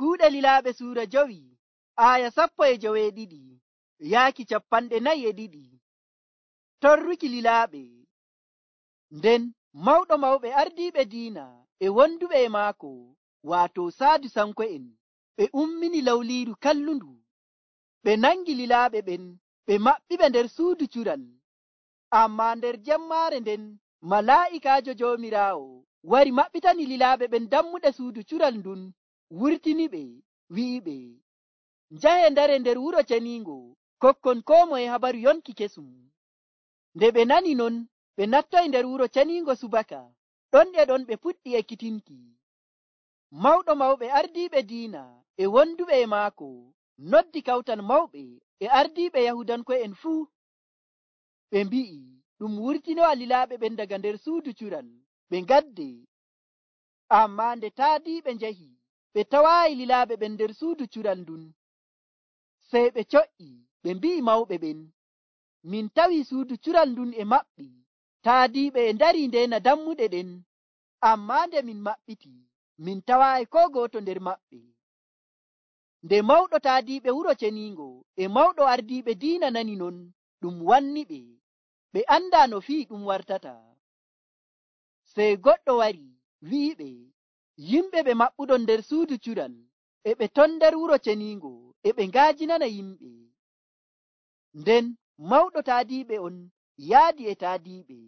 Kuuɗe Lilaaɓe suura 5 aya 12 yaaki 42. Torruki lilaaɓe. Nden mawɗo mawɓe ardiiɓe diina e wonduɓe e maako waato Sadusanko'en ɓe ummini lawliiru kallundu. Ɓe nangi lilaaɓe ɓen ɓe maɓɓiɓe nder suudu cural. Ammaa nder jemmaare nden malaa'ikaajo Joomiraawo wari maɓɓitani lilaaɓe ɓen dammuɗe suudu cural ndun, wurtiniɓe, wi'iɓe, njahe ndare nder wuro ceniingo kokkon koo moye habaru yonki kesum. Nde ɓe nani non, ɓe nattoyi nder wuro ceniingo subaka. Ɗon e ɗon ɓe puɗɗi ekkitinki. Mawɗo mawɓe ardiiɓe diina e wonduɓe e maako noddi kawtal mawɓe e ardiiɓe Yahudanko'en fuu. Ɓe mbi'i ɗum wurtinowa lilaaɓe ɓen daga nder suudu cural ɓe ngadde. Ammaa nde taadiiɓe njahi ɓe tawaayi lilaaɓe ɓen nder suudu cural ndun. Sey ɓe co'i ɓe mbi'i mawɓe ɓen, min tawii suudu cural ndun e maɓɓi, taadiiɓe e ndarii ndeena dammuɗe ɗen. Ammaa nde min maɓɓiti, min tawaayi koo gooto nder maɓɓe. Nde mawɗo taadiiɓe wuro ceniingo e mawɗo ardiiɓe diina nani non, ɗum wanniɓe. Ɓe andaa no fii ɗum wartata. Sey goɗɗo wari wi'iɓe, yimɓe ɓe maɓɓuɗon nder suudu cural e ɓe ton nder wuro ceniingo e ɓe ngaajinana yimɓe. Nden mawɗo taadiiɓe on yaadi e taadiiɓe,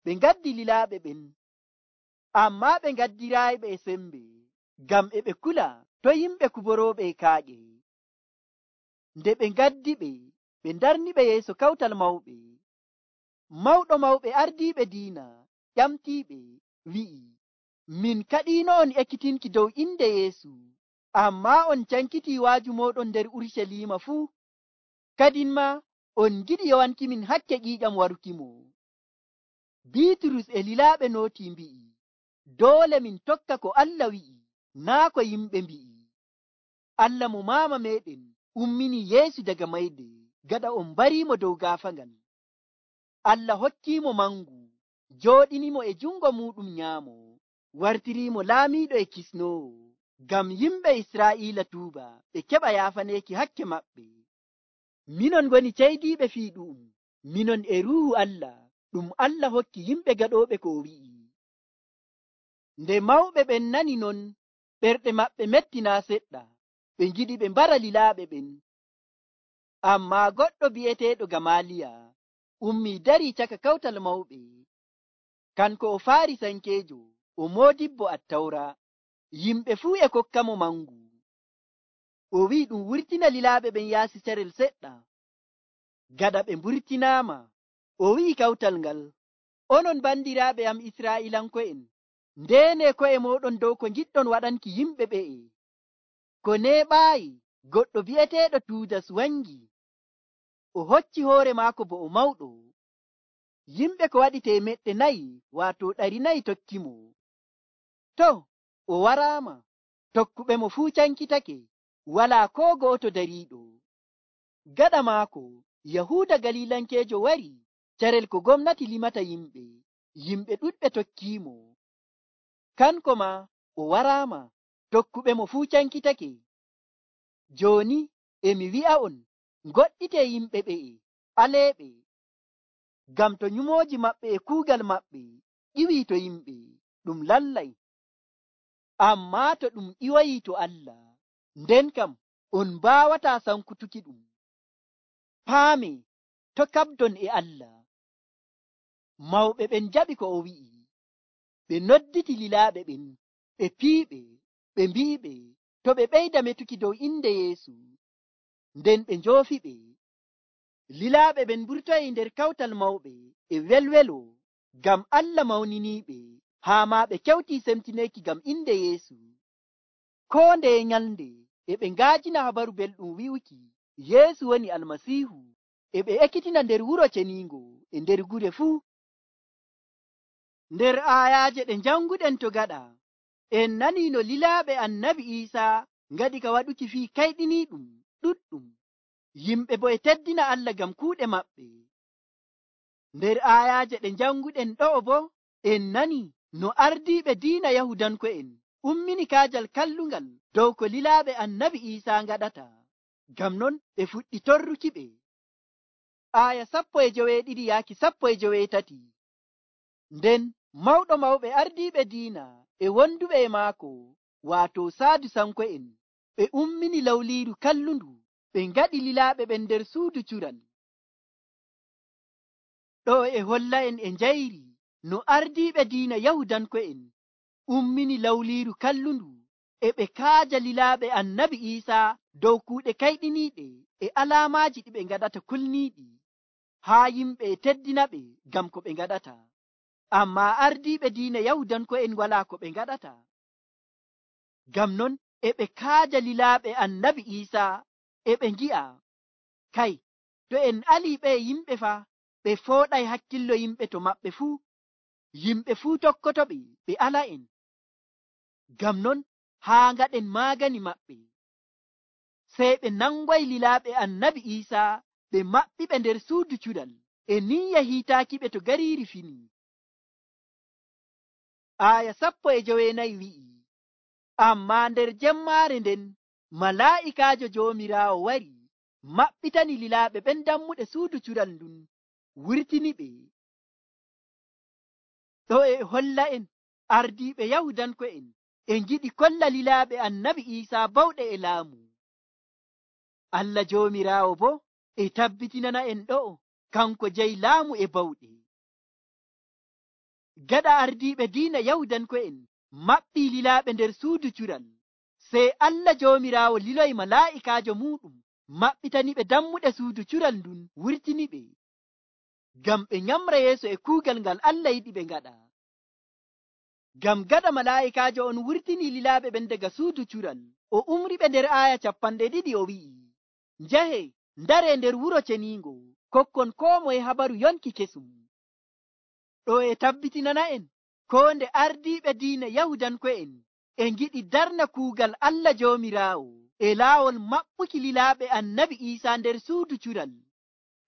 ɓe ngaddi lilaaɓe ɓen. Ammaa ɓe ngaddiraayiɓe e sembe, ngam e ɓe kula to yimɓe kuborooɓe e kaaƴe. Nde ɓe ngaddi ɓe ndarniɓe yeeso kawtal mawɓe. Mawɗo mawɓe ardiiɓe diina ƴamtiiɓe wi'i, min kaɗiino on ekkitinki dow inde Yeesu, ammaa on cankitii waaju mooɗon nder Urucaliima fuu. Kadin maa on ngiɗi yowankimin hakke ƴiiƴam warukimo. Biiturus e lilaaɓe nootii mbi'i, doole min tokka ko Allah wi'i, naa ko yimɓe mbi'i. Allah mo maama meeɗen ummini Yeesu daga mayde gaɗa on mbariimo dow gaafaangal. Allah hokkiimo mangu, jooɗinimo e jungo muɗum nyaamo, wartiriimo laamiiɗo e kisnoowo, ngam yimɓe Israa'iila tuuba ɓe keɓa yaafaneeki hakke maɓɓe. Minon ngoni ceydiiɓe fii ɗu'um, minon e Ruuhu Allah ɗum Allah hokki yimɓe gaɗooɓe ko o wi'i. Nde mawɓe ɓen nani non, ɓerɗe maɓɓe metti naa seɗɗa, ɓe ngiɗi ɓe mbara lilaaɓe ɓen. Ammaa goɗɗo bi'eteeɗo Gamaaliya ummii darii caka kawtal mawɓe. Kanko o Faarisankeejo, o moodibbo Attawra. Yimɓe fuu e kokkamo mangu. O wi'i ɗum wurtina lilaaɓe ɓen yaasi carel seɗɗa. Gaɗa ɓe mburtinaama, o wi'i kawtal ngal, onon bandiraaɓe am Israa'iilanko'en, ndeene ko'e mooɗon dow ko ngiɗɗon waɗanki yimɓe ɓe'e. Ko neeɓaayi goɗɗo bi'eteeɗo Tuudas wangi. O hocci hoore maako bo o mawɗo. Yimɓe ko waɗi 400 waato 400 tokkimo. To, o waraama, tokkuɓe mo fuu cankitake, walaa koo gooto dariiɗo. Gaɗa maako, Yahuuda Galiilankeejo wari, carel ko gomnati limata yimɓe. Yimɓe ɗuɗɓe tokkiimo. Kanko maa o waraama, tokkuɓe mo fuu cankitake. Jooni emi wi'a on, ngoɗɗitee yimɓe ɓe'e, aleeɓe. Ngam to nyumooji maɓɓe e kuugal maɓɓe ƴiwii to yimɓe, ɗum lallay. Ammaa to ɗum ƴiwayii to Allah, nden kam on mbaawataa sankutuki ɗum. Paame, to kaɓdon e Allah. Mawɓe ɓen jaɓi ko o wi'i. Ɓe nodditi lilaaɓe ɓen, ɓe piiɓe, ɓe mbi'iɓe to ɓe ɓeyda metuki dow inde Yeesu. Nden ɓe njoofi ɓe. Lilaaɓe ɓen mburtoyi nder kawtal mawɓe e welwelo, ngam Allah mawniniiɓe, haa maa ɓe kewtii semtineeki ngam inde Yeesu. Koo ndeye nyalnde e ɓe ngaajina habaru belɗum wi'uki Yeesu woni Almasiihu, e ɓe ekkitina nder wuro ceniingo e nder gure fuu. Nder aayaaje ɗe njanguɗen to gaɗa, en nanii no lilaaɓe Annabi Iisaa ngaɗi ka waɗuki fii kayɗiniiɗum ɗuɗɗum. Yimɓe bo e teddina Allah ngam kuuɗe maɓɓe. Nder aayaaje ɗe njanguɗen ɗo'o bo, en nani no ardiiɓe diina Yahudanko'en ummini kaajal kallungal dow ko lilaaɓe annabi Iisaa ngaɗata. Ngam non ɓe fuɗɗi torruki ɓe. Aaya 12 yaaki 13. Nden mawɗo mawɓe ardiiɓe diina e wonduɓe e maako, waato Saadusanko'en, ɓe ummini lawliiru kallundu, ɓe ngaɗi lilaaɓe ɓen nder suudu cural. Ɗo e holla'en e njayri no ardiiɓe diina Yahudanko'en ummini lawliiru kallundu e ɓe kaaja lilaaɓe annabi Iisaa dow kuuɗe kayɗiniiɗe e alaamaaji ɗi ɓe ngaɗata kulniiɗi, haa yimɓe e teddina ɓe ngam ko ɓe ngaɗata. Ammaa ardiiɓe diina Yahudanko'en walaa ko ɓe ngaɗata. Ngam non e ɓe kaaja lilaaɓe annabi Iisaa e ɓe ngi'a, kay, to en alii ɓe yimɓe faa, ɓe fooɗay hakkillo yimɓe to maɓɓe fuu. Yimɓe fuu tokkotoɓe ɓe ala'en. Ngam non haa ngaɗen maagani maɓɓe. Sey ɓe nangoy lilaaɓe annabi Iisaa ɓe maɓɓi ɓe nder suudu cuɗal e niyya hiitaaki ɓe to gariiri fini. Aaya 14 wi'i, ammaa nder jemmaare nden malaa'ikaajo Joomiraawo wari, maɓɓitani lilaaɓe ɓen dammuɗe suudu cuɗal ndun, wurtini ɓe. Ɗo e holla'en ardiiɓe Yahudanko'en e ngiɗi kolla lilaaɓe annabi Iisaa bawɗe e laamu. Allah Joomiraawo boo e tabbitinana'en ɗo'o kanko jeyi laamu e bawɗe. Gaɗa ardiiɓe diina Yahudanko'en maɓɓii lilaaɓe nder suudu cural, sey Allah Joomiraawo liloyi malaa'ikaajo muuɗum maɓɓitani ɓe dammuɗe suudu cural ndun, wurtini ɓe, ngam ɓe nyamra yeeso e kuugal ngal Allah yiɗi ɓe ngaɗa. Ngam gaɗa malaa'ikaajo on wurtini lilaaɓe ɓen daga suudu cural, o umri ɓe nder aaya 20 o wi'i, njahe ndare nder wuro ceniingo, kokkon koo moye habaru yonki kesum. Ɗo e tabbitinana'en koo nde ardiiɓe diina Yahudanko'en e ngiɗi darna kuugal Allah Joomiraawo e laawol maɓɓuki lilaaɓe annabi Iisaa nder suudu cural,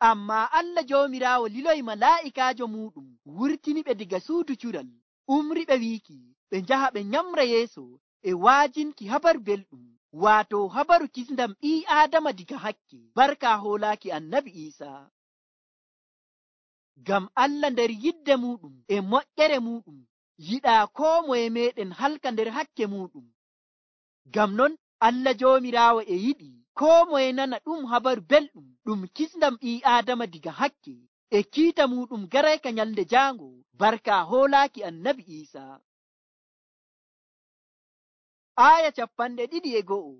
ammaa Allah Joomiraawo liloyi malaa'ikaajo muuɗum wurtini ɓe diga suudu cural, umri ɓe wiiki ɓe njaha ɓe nyamra yeeso e waajinki habaru belɗum, waato habaru kisndam ɓii Aadama diga hakke, barka hoolaaki annabi Iisaa. Ngam Allah nder yidde muuɗum e moƴƴere muuɗum yiɗaa koo moye meeɗen halka nder hakke muuɗum. Ngam non Allah Joomiraawo e yiɗi koo moye nana ɗum habaru belɗum ɗum kisndam ɓii Aadama diga hakke e kiita muuɗum garayka nyalnde jaango, barka hoolaaki annabi Iisaa. Aaya 21.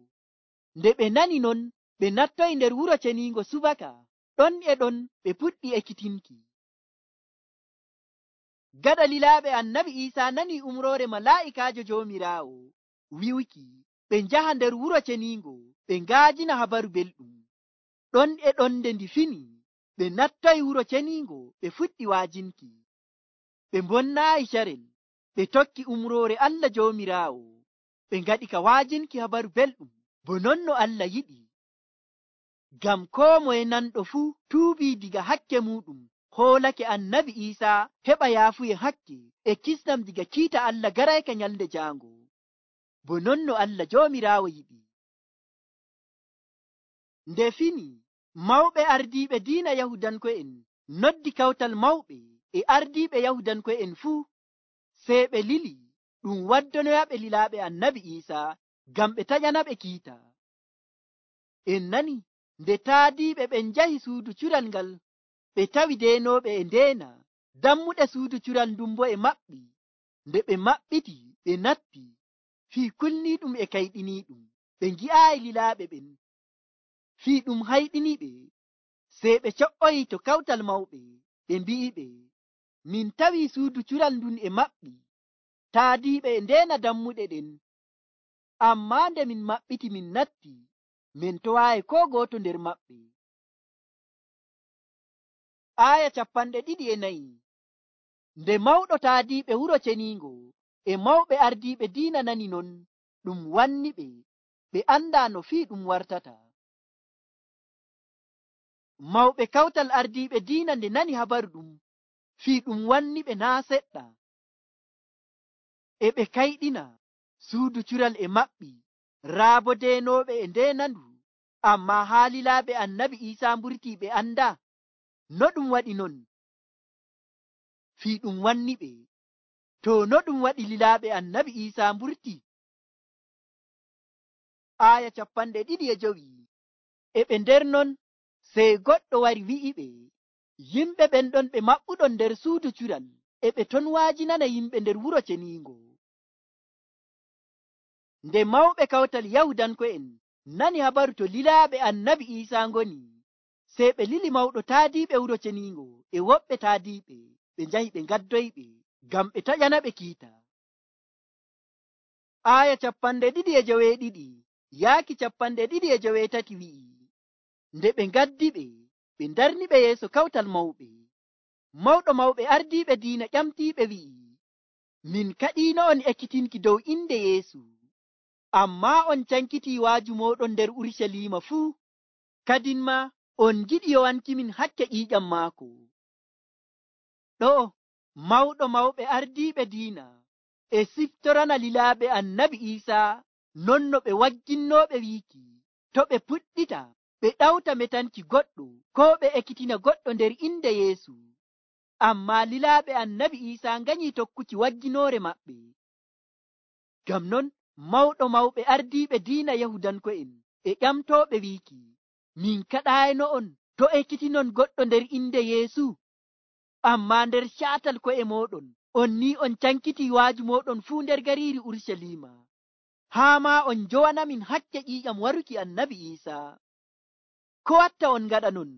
Nde ɓe nani non, ɓe nattoyi nder wuro ceniingo subaka, ɗon e ɗon ɓe puɗɗi ekkitinki. Gaɗa lilaaɓe annabi Iisaa nani umroore malaa'ikaajo Joomiraawo wi'uki ɓe njaha nder wuro ceniingo ɓe ngaajina habaru belɗum. Ɗon e ɗon nde ndi fini, ɓe nattoyi wuro ceniingo ɓe fuɗɗi waajinki. Ɓe mbonnaayi carel, ɓe tokki umroore Allah Joomiraawo, ɓe ngaɗi ka waajinki habaru belɗum bo non no Allah yiɗi. Ngam koo moye nanɗo fuu tuubii diga hakke muuɗum, hoolake annabi Iisaa heɓa yaafuye hakke e kisnam diga kiita Allah garayka nyalnde jaango, bo non no Allah Joomiraawo yiɗi. Nde fini, mawɓe ardiiɓe diina Yahudanko'en noddi kawtal mawɓe e ardiiɓe Yahudanko'en fuu, sey ɓe lili ɗum waddonoyaɓe lilaaɓe annabi Iisaa ngam ɓe taƴana ɓe kiita. En nani nde taadiiɓe ɓen njahi suudu cural ngal, ɓe tawi deenooɓe e ndeena, dammuɗe suudu cural ndun bo e maɓɓi. Nde ɓe maɓɓiti ɓe natti, fii kulniiɗum e kayɗiniiɗum, ɓe ngi'aayi lilaaɓe ɓen, fii ɗum hayɗiniɓe. Sey ɓe co'oyi to kawtal mawɓe, ɓe mbi'iɓe, min tawi suudu cural ndun e maɓɓi, taadiiɓe e ndeena dammuɗe ɗen, ammaa nde min maɓɓiti min natti, min towaayi koo gooto nder maɓɓe. Aaya 24. Nde mawɗo taadiiɓe wuro ceniingo e mawɓe ardiiɓe diina nani non, ɗum wanni ɓe, ɓe anndaa no fii ɗum wartata. Mawɓe kawtal ardiiɓe diina nde nani habaru ɗum, fii ɗum wanni ɓe naa seɗɗa, e ɓe kayɗina. suudu cural e maɓɓi, raa bo deenooɓe e ndeenandu. Ammaa haa lilaaɓe annabi Iisaa mburtii ɓe anda. No ɗum waɗi non? Fii ɗum wanni ɓe. To no ɗum waɗi lilaaɓe annabi Iisaa mburti? Aaya 25. E ɓe nder non, sey goɗɗo wari wi'iɓe, yimɓe ɓen ɗon ɓe maɓɓuɗon nder suudu cural, e ɓe ton waajinana yimɓe nder wuro ceniingo. Nde mawɓe kawtal Yahudanko'en nani habaru to lilaaɓe annabi Iisaa ngoni, sey ɓe lili mawɗo taadiiɓe wuro ceniingo e woɓɓe taadiiɓe, ɓe njahi ɓe ngaddoyɓe ngam ɓe taƴana ɓe kiita. Aaya 22 yaaki 23 wi'i, nde ɓe ngaddi ɓe, ɓe ndarni ɓe yeeso kawtal mawɓe. Mawɗo mawɓe ardiiɓe diina ƴamtiiɓe wi'i, min kaɗiino'on ekkitinki dow inde Yeesu, ammaa on cankitii waaju mooɗon nder Urucaliima fuu, kadin ma on ngiɗi yowankimin hakke ƴiiƴam maako. Ɗo'o mawɗo mawɓe ardiiɓe diina e siftorana lilaaɓe annabi Iisaa non no ɓe wagginnooɓe wiiki to ɓe puɗɗita ɓe ɗawta metanki goɗɗo koo ɓe ekkitina goɗɗo nder inde Yeesu. Ammaa lilaaɓe annabi Iisaa nganyii tokkuki wagginoore maɓɓe. Ngam non mawɗo mawɓe ardiiɓe diina Yahudanko'en e ƴamtooɓe wiiki, min kaɗaayno'on to ekkitinon goɗɗo nder inde Yeesu. Ammaa nder caatal ko'e mooɗon on ni on cankitii waaju mooɗon fuu nder gariiri Urucaliima, haa maa on njowanamin hakke ƴiiƴam waruki annabi Iisaa. Ko watta on ngaɗa non?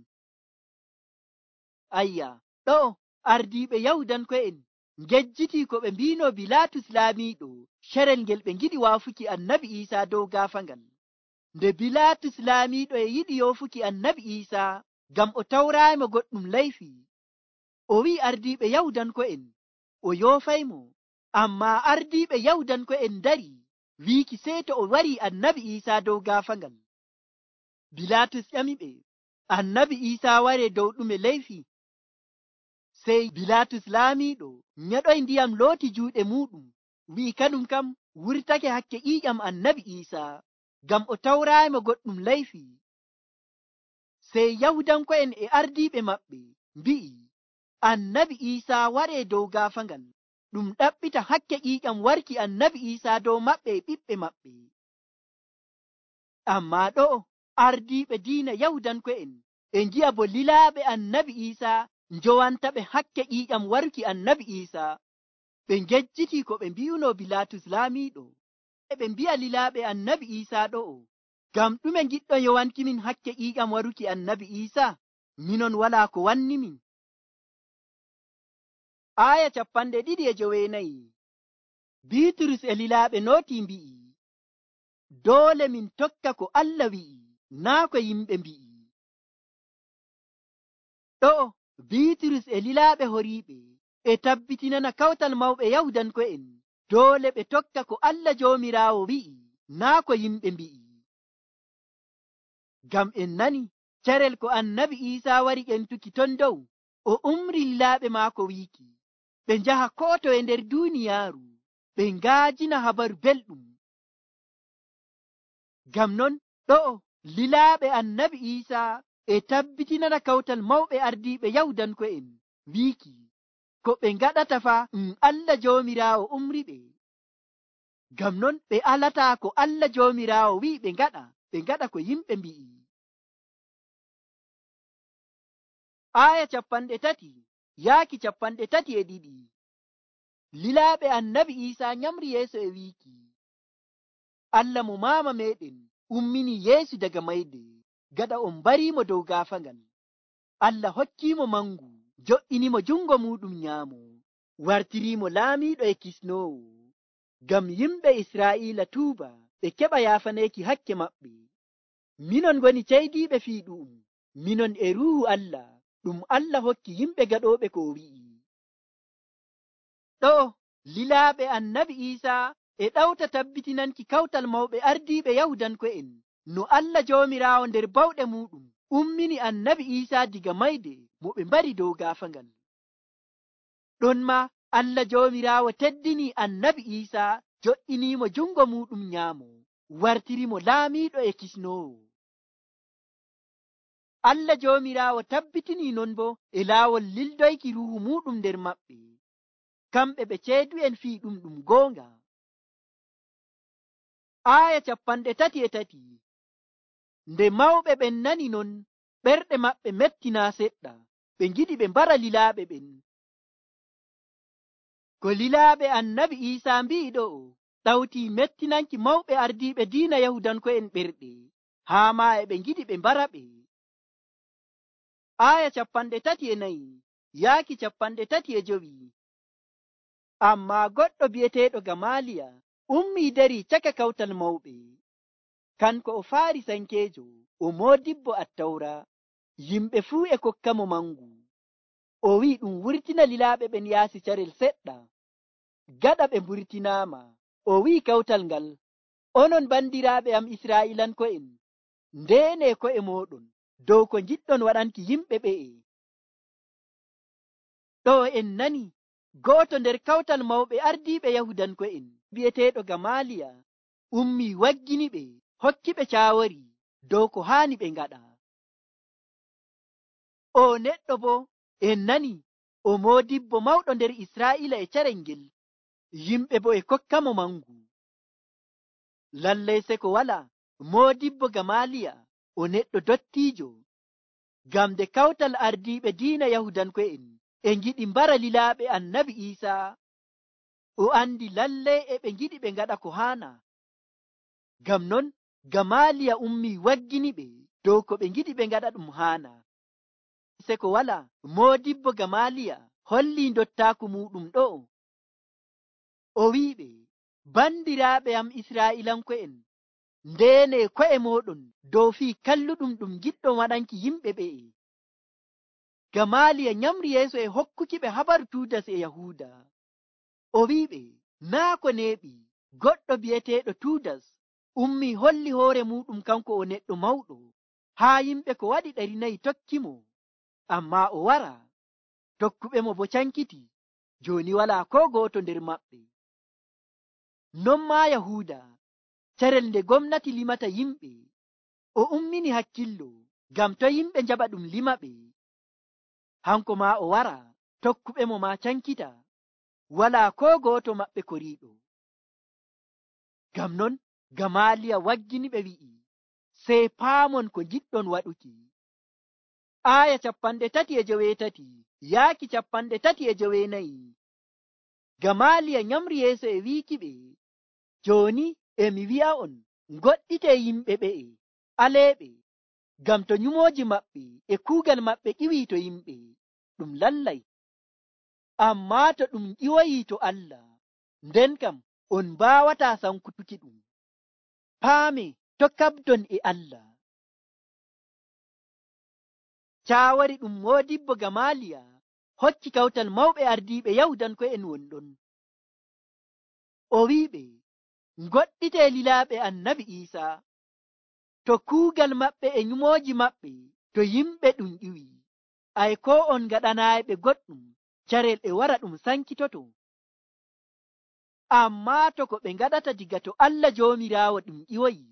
Ayya, ɗo'o ardiiɓe Yahudanko'en ngejjitii ko ɓe mbiino Bilaatus laamiiɗo carel ngel ɓe ngiɗi waafuki annabi Iisaa dow gaafangal. Nde Bilaatus laamiiɗo e yiɗi yoofuki annabi Iisaa ngam o tawraaymo goɗɗum layfi, o wi'i ardiiɓe Yahudanko'en o yoofaymo. Ammaa ardiiɓe Yahudanko'en ndari wiiki sey to o warii annabi Iisaa dow gaafangal. Bilaatus ƴamiɓe, annabi Iisaa waree dow ɗume layfi? Sey Bilaatus laamiiɗo nyeɗoyi ndiyam looti juuɗe muuɗum, wi'i kaɗum kam wurtake hakke ƴiiƴam annabi Iisaa, ngam o tawraaymo goɗɗum layfi. Sey Yahudanko'en e ardiiɓe maɓɓe mbi'i, annabi Iisaa waree dow gaafangal, ɗum ɗaɓɓita hakke ƴiiƴam warki annabi Iisaa dow maɓɓe e ɓiɓɓe maɓɓe. Ammaa ɗo'o ardiiɓe diina Yahudanko'en e ngi'a bo lilaaɓe annabi Iisaa njowanta ɓe hakke ƴiiƴam waruki annabi Iisaa. Ɓe ngejjitii ko ɓe mbi'uno Bilaatus laamiiɗo, e ɓe mbi'a lilaaɓe annabi Iisaa ɗo'o, ngam ɗume ngiɗɗon yowankimin hakke ƴiiƴam waruki annabi Iisaa? Minon walaa ko wannimin. Aaya 29. Biiturus e lilaaɓe nootii mbi'i, doole min tokka ko Allah wi'i, naa ko yimɓe mbi'i. Ɗo'o Biiturus e lilaaɓe horiiɓe e tabbitinana kawtal mawɓe Yahudanko'en doole ɓe tokka ko Allah Joomiraawo wi'i, naa ko yimɓe mbi'i. Ngam en nani carel ko annabi Iisaa wari ƴentuki ton dow, o umri lilaaɓe maako wiiki ɓe njaha koo toye nder duuniyaaru ɓe ngaajina habaru belɗum. Ngam non ɗo'o lilaaɓe annabi Iisaa e tabbitinana kawtal mawɓe ardiiɓe Yahudanko'en wiiki ko ɓe ngaɗata fa Allah Joomiraawo umri ɓe. Ngam non ɓe alataa ko Allah Joomiraawo wi'i ɓe ngaɗa ko yimɓe mbi'i. Aaya 30 yaaki 32. Lilaaɓe annabi Iisaa nyamri yeeso e wiiki, Allah mo maama meɗen ummini Yeesu daga mayde, gaɗa on mbariimo dow gaafangal. Allah hokkiimo mangu, jo'inimo jungo muɗum nyaamo, wartiriimo laamiiɗo e kisnoowo, ngam yimɓe Israa'iila tuuba ɓe keɓa yaafaneeki hakke maɓɓe. Minon ngoni ceydiiɓe fii ɗu'um, minon e Ruuhu Allah ɗum Allah hokki yimɓe gaɗooɓe ko wi'i. Ɗo lilaaɓe annabi Iisaa e ɗawta tabbitinanki kawtal mawɓe ardiiɓe Yahudanko'en no Allah Joomiraawo nder bawɗe muɗum ummini annabi Iisaa diga mayde mo ɓe mbari dow gaafangal. Ɗon ma Allah Joomiraawo teddini annabi Iisaa jo'iniimo jungo muɗum nyaamo, wartirimo laamiiɗo e kisnoowo. Allah joomiraawo tabbitinii non bo e laawol lildoyki ruuhu muɗum nder maɓɓe, kamɓe ɓe ceedu'en fii ɗum goonga. Aaya 33. Nde mawɓe ɓen nani non, ɓerɗe maɓɓe mettinaa seɗɗa, ɓe ngiɗi ɓe mbara lilaaɓe ɓen. Ko lilaaɓe annabi Iisaa mbi'i ɗo'o ɗawtii mettinanki mawɓe ardiiɓe diina Yahudanko'en ɓerɗe, haa maa e ɓe ngiɗi ɓe mbara ɓe. Aaya 34 yaaki 35. Ammaa goɗɗo bi'eteeɗo Gamaaliya ummii darii caka kawtal mawɓe. Kanko o Faarisankeejo, o moodibbo Attawra. Yimɓe fuu e kokkamo mangu. O wi'i ɗum wurtina lilaaɓe ɓen yaasi carel seɗɗa. Gaɗa ɓe mburtinaama, o wi'i kawtal ngal, onon bandiraaɓe am Israa'iilanko'en, ndeenee ko'e mooɗon dow ko ngiɗɗon waɗanki yimɓe ɓe'e. Ɗo en nani go'oto nder kawtal mawɓe ardiiɓe Yahudanko'en bi'eteeɗo Gamaaliya ummii waggini ɓe, hokki ɓe caawari dow ko haani ɓe ngaɗa. O neɗɗo bo en nani o moodibbo mawɗo nder Israa'iila e carel ngel, yimɓe bo e kokkamo mangu. Lallay seko wala moodibbo Gamaaliya o neɗɗo dottiijo, ngam nde kawtal ardiiɓe diina Yahudanko'en e ngiɗi mbara lilaaɓe annabi Iisaa, o andi lallay e ɓe ngiɗi ɓe ngaɗa ko haana. Ngam non Gamaaliya ummii waggini ɓe dow ko ɓe ngiɗi ɓe ngaɗa ɗum haana. Seko wala moodibbo Gamaaliya hollii ndottaaku muɗum ɗo'o. O wi'iɓe, bandiraaɓe am Israa'iilanko'en, ndeenee ko'e mooɗon dow fii kalluɗum ɗum giɗɗon waɗanki yimɓe ɓe'e. Gamaaliya nyamri yeeso e hokkuki ɓe habaru Tuudas e Yahuuda. O wi'iɓe, naa ko neeɓi goɗɗo bi'eteeɗo Tuudas ummii holli hoore muɗum kanko o neɗɗo mawɗo, haa yimɓe ko waɗi 400 tokkimo, ammaa o wara, tokkuɓe mo bo cankiti, jooni walaa koo gooto nder maɓɓe. Non maa Yahuuda, carel nde gomnati limata yimɓe, o ummini hakkillo, ngam to yimɓe njaɓa ɗum lima ɓe. Hanko maa o wara, tokkuɓe mo maa cankita, walaa koo gooto maɓɓe koriiɗo. Ngam non Gamaaliya waggini ɓe wi'i, sey paamon ko ngiɗɗon waɗuki. Aaya 38 yaaki 39. Gamaaliya nyamri yeeso e wiiki ɓe, jooni emi wi'a'on, ngoɗɗitee yimɓe ɓe'e, aleeɓe, ngam to nyumooji maɓɓe e kuugal maɓɓe ƴiwii to yimɓe, ɗum lallay. Ammaa to ɗum ƴiwoyii to Allah, nden kam on mbaawataa sankutuki ɗum. Paame to kaɓdon e Allah. Caawari ɗum moodibbo Gamaaliya hokki kawtal mawɓe ardiiɓe Yahudanko'en wonɗon. O wi'iɓe, ngoɗɗitee lilaaɓe annabi Iisaa, to kuugal maɓɓe e nyumooji maɓɓe to yimɓe ɗum ƴiwii, ay koo on ngaɗanaayiɓe goɗɗum, carel e wara ɗum sankitoto. Ammaa to ko ɓe ngaɗata diga to Allah Joomiraawo ɗum ƴiwoyi,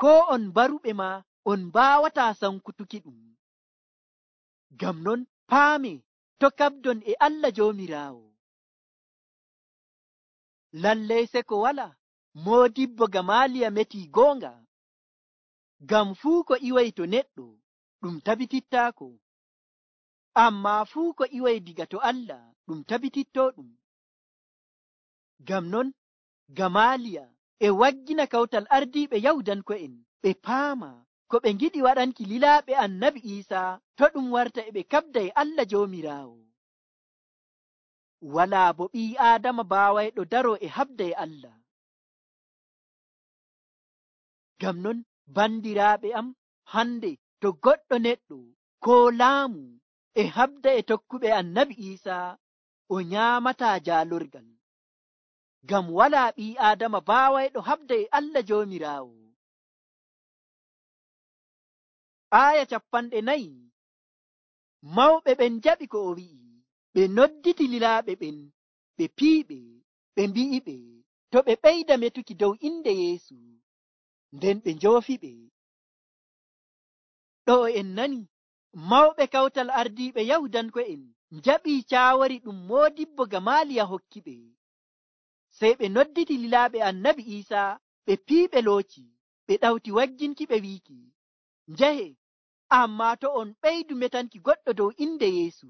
koo on baruɓe maa on mbaawataa sankutuki ɗum. Ngam non paame to kaɓdon e Allah Joomiraawo. Lallay seko wala moodibbo Gamaaliya metii goonga, ngam fuu ko ƴiwoyi to neɗɗo ɗum tabitittaako, ammaa fuu ko ƴiwoyi diga to Allah ɗum tabitittoɗum. Ngam non Gamaaliya e waggina kawtal ardiiɓe Yahudanko'en ɓe paama ko ɓe ngiɗi waɗanki lilaaɓe annabi Iisaa to ɗum warta e ɓe kaɓda e Allah Joomiraawo. Walaa bo ɓii Aadama baawayɗo daroo e haɓda e Allah. Ngam non bandiraaɓe am, hande to goɗɗo neɗɗo koo laamu e haɓda e tokkuɓe annabi Iisaa, o nyaamataa jaalorgal, ngam walaa ɓii Aadama baawayɗo haɓda e Allah Joomiraawo. Aaya 40. Mawɓe ɓen jaɓi ko o wi'i, ɓe nodditi lilaaɓe ɓen, ɓe piiɓe, ɓe mbi'iɓe, to ɓe ɓeyda metuki dow inde Yeesu, nden ɓe njoofiɓe. Ɗo en nani mawɓe kawtal ardiiɓe Yahudanko'en njaɓii caawori ɗum Moodibbo Gamaaliya hokki ɓe. Sey ɓe nodditi lilaaɓe Annabi Iisaa ɓe piiɓe looci, ɓe ɗawti wagginki ɓe wiiki, njahe, ammaa to on ɓeydu metanki goɗɗo dow inde Yeesu.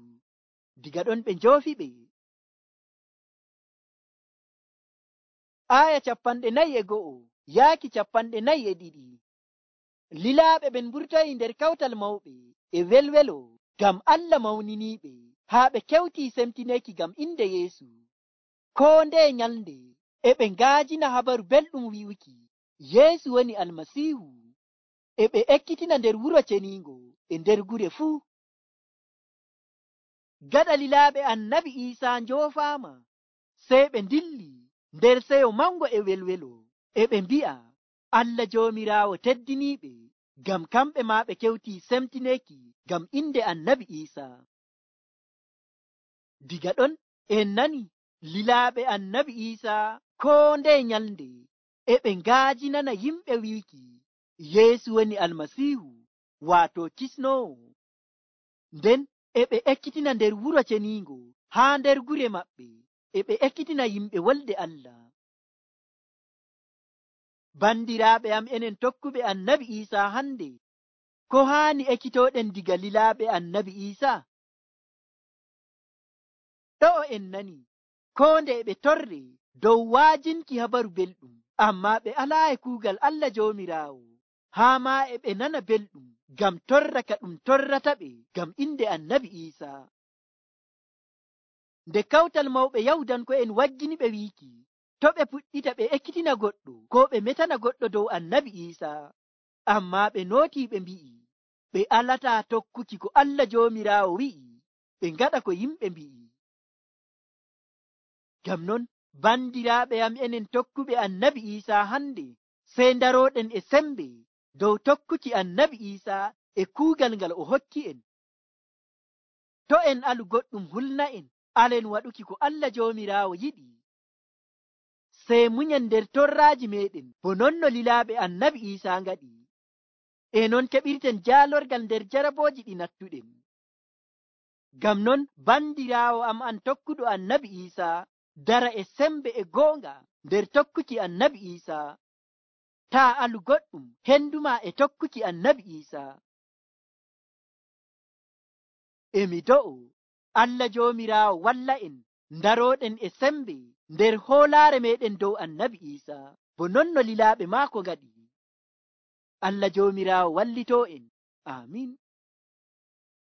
Diga ɗon ɓe njoofiɓe. Aya 41 yaaki 42. Lilaaɓe ɓen mburtoyi nder kawtal mawɓe e welwelo ngam Allah mawniniiɓe, haa ɓe kewtii semtineeki ngam inde Yeesu. Koo ndeye nyalnde e ɓe ngaajina habaru belɗum wi'uki Yeesu woni Almasiihu, e ɓe ekkitina nder wuro ceniingo e nder gure fuu. Gaɗa lilaaɓe Annabi Iisaa njoofaama, sey ɓe ndilli nder seyo mango e welwelo, e ɓe mbi'a Allah Joomiraawo teddiniiɓe, ngam kamɓe maa ɓe kewtii semtineeki ngam inde Annabi Iisaa. Diga ɗon en nani lilaaɓe Annabi Iisaa koo ndeye nyalnde e ɓe ngaajinana yimɓe wiiki Yeesu woni Almasiihu, waato kisnoowo. Nden e ɓe ekkitina nder wuro ceniingo haa nder gure maɓɓe, e ɓe ekkitina yimɓe wolde Allah. Bandiraaɓe am enen tokkuɓe Annabi Iisaa hande, ko haani ekkitooɗen diga lilaaɓe Annabi Iisaa? Ɗo'o en nani koo nde ɓe torre dow waajinki habaru belɗum, ammaa ɓe alaayi kuugal Allah Joomiraawo, haa maa e ɓe nana belɗum ngam torra ka ɗum torrata ɓe ngam inde Annabi Iisaa. Nde kawtal mawɓe Yahudanko'en waggini ɓe wiiki to ɓe puɗɗita ɓe ekkitina goɗɗo koo ɓe metana goɗɗo dow Annabi Iisaa, ammaa ɓe nootii ɓe mbi'i ɓe alataa tokkuki ko Allah Joomiraawo wi'i, ɓe ngaɗa ko yimɓe mbi'i. Ngam non bandiraaɓe am enen tokkuɓe Annabi Iisaa hande, sey ndarooɗen e sembe dow tokkuki Annabi Iisaa e kuugal ngal o hokki en. To en alu goɗɗum hulna'en, alen waɗuki ko Allah Joomiraawo yiɗi, sey munyen nder torraaji meeɗen bo non no lilaaɓe Annabi Iisaa ngaɗi, e non keɓirten jaalorgal nder jarabooji ɗi nattuɗen. Ngam non bandiraawo am an tokkuɗo Annabi Iisaa, dara e sembe e goonga nder tokkuki Annabi Iisaa. Taa alu goɗɗum henduma e tokkuki Annabi Iisaa. Emi do'o Allah Joomiraawo walla en ndarooɗen e sembe nder hoolaare meɗen dow Annabi Iisaa, bo non no lilaaɓe maako ngaɗi. Allah Joomiraawo wallitoo en. Aamin.